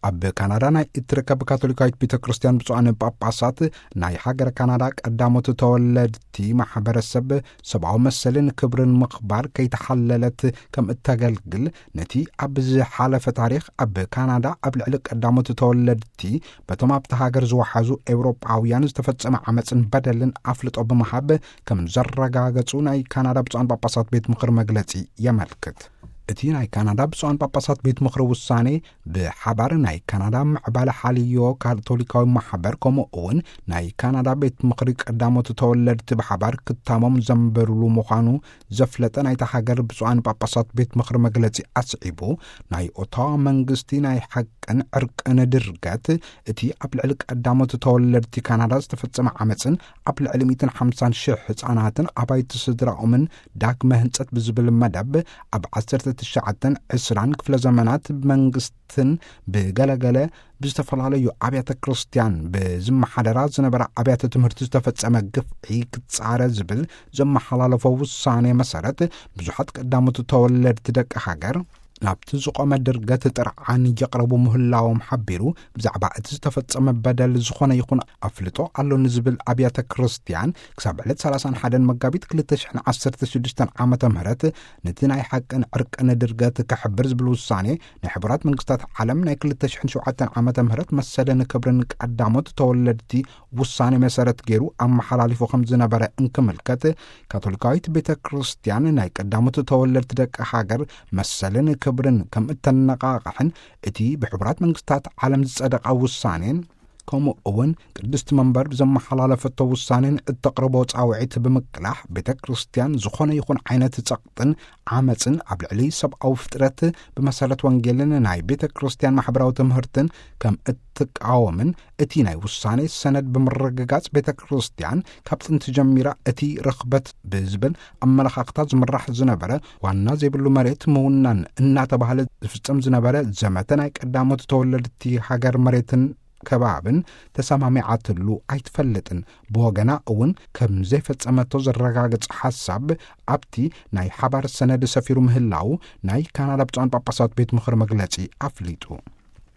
ኣብ ካናዳ ናይ እትርከብ ካቶሊካዊት ቤተ ክርስቲያን ብፁዓን ጳጳሳት፣ ናይ ሃገረ ካናዳ ቀዳሞት ተወለድቲ ማሕበረሰብ ሰብኣዊ መሰልን ክብርን ምኽባር ከይተሓለለት ከም እተገልግል፣ ነቲ ኣብ ዝሓለፈ ታሪኽ ኣብ ካናዳ ኣብ ልዕሊ ቀዳሞት ተወለድቲ በቶም ኣብቲ ሃገር ዝወሓዙ ኤውሮጳውያን ዝተፈጸመ ዓመፅን በደልን ኣፍልጦ ብምሃብ ከም ዘረጋገጹ ናይ ካናዳ ብፁዓን ጳጳሳት ቤት ምኽሪ መግለጺ የመልክት። እቲ ናይ ካናዳ ብፁዓን ጳጳሳት ቤት ምኽሪ ውሳኔ፣ ብሓባር ናይ ካናዳ ምዕባለ ሓልዮ ካቶሊካዊ ማሕበር፣ ከምኡ እውን ናይ ካናዳ ቤት ምኽሪ ቀዳሞት ተወለድቲ ብሓባር ክታሞም ዘንበሩሉ ምዃኑ ዘፍለጠ ናይታ ሃገር ብፁዓን ጳጳሳት ቤት ምኽሪ መግለጺ ኣስዒቡ፣ ናይ ኦታዋ መንግስቲ ናይ ሓቅን ዕርቅን ድርገት፣ እቲ ኣብ ልዕሊ ቀዳሞት ተወለድቲ ካናዳ ዝተፈጸመ ዓመፅን ኣብ ልዕሊ ሚእትን ሓምሳን ሽሕ ህፃናትን ኣባይቲ ስድራኦምን ዳግመ ህንጸት ብዝብል መደብ፣ ኣብ ዓሰርተ ትሽዓተን ዕስራን ክፍለ ዘመናት ብመንግስትን ብገለገለ ብዝተፈላለዩ ኣብያተ ክርስቲያን ብዝመሓደራ ዝነበራ ኣብያተ ትምህርቲ ዝተፈጸመ ግፍዒ ክጻረ ዝብል ዘመሓላለፎ ውሳኔ መሰረት፣ ብዙሓት ቀዳሞት ተወለድቲ ደቂ ሃገር ናብቲ ዝቖመ ድርገት ጥርዓን የቕረቡ ምህላዎም ሓቢሩ፣ ብዛዕባ እቲ ዝተፈጸመ በደል ዝኾነ ይኹን ኣፍልጦ ኣሎኒ ዝብል ኣብያተ ክርስቲያን፣ ክሳብ ዕለት ሰላሳን ሓደን መጋቢት ክልተ ሽሕን ዓሰርተ ሽዱሽተን ዓመተ ምህረት ነቲ ናይ ሓቅን ዕርቅን ድርገት ክሕብር ዝብል ውሳኔ ናይ ሕቡራት መንግስታት ዓለም ናይ ክልተ ሽሕን ሸውዓተን ዓመተ ምህረት መሰልን ክብርን ቀዳሞት ተወለድቲ ውሳኔ መሰረት ገይሩ ኣመሓላሊፉ ከም ዝነበረ እንክምልከት፣ ካቶሊካዊት ቤተ ክርስቲያን ናይ ቀዳሞት ተወለድቲ ደቂ ሃገር መሰልን ክብርን ከም እተነቓቕሕን፣ እቲ ብሕቡራት መንግስታት ዓለም ዝጸደቐ ውሳኔን፣ ከምኡ እውን ቅድስቲ መንበር ብዘመሓላለፈቶ ውሳኔን እተቕርቦ ጻውዒት ብምቅላሕ፣ ቤተ ክርስቲያን ዝኾነ ይኹን ዓይነት ጸቕጥን ዓመፅን ኣብ ልዕሊ ሰብኣዊ ፍጥረት ብመሰረት ወንጌልን ናይ ቤተ ክርስቲያን ማሕበራዊ ትምህርትን ከም እትቃወምን፣ እቲ ናይ ውሳኔ ሰነድ ብምርግጋጽ፣ ቤተ ክርስቲያን ካብ ጥንቲ ጀሚራ እቲ ርኽበት ብዝብል ኣመለኻኽታ ዝምራሕ ዝነበረ፣ ዋና ዘይብሉ መሬት ምውናን እናተባህለ ዝፍጸም ዝነበረ ዘመተ ናይ ቀዳሞት ተወለድቲ ሃገር መሬትን ከባብን ተሰማሚዓትሉ ኣይትፈልጥን። ብወገና እውን ከም ዘይፈጸመቶ ዘረጋግጽ ሓሳብ ኣብቲ ናይ ሓባር ሰነድ ሰፊሩ ምህላው ናይ ካናዳ ብፁዓን ጳጳሳት ቤት ምኽሪ መግለጺ ኣፍሊጡ።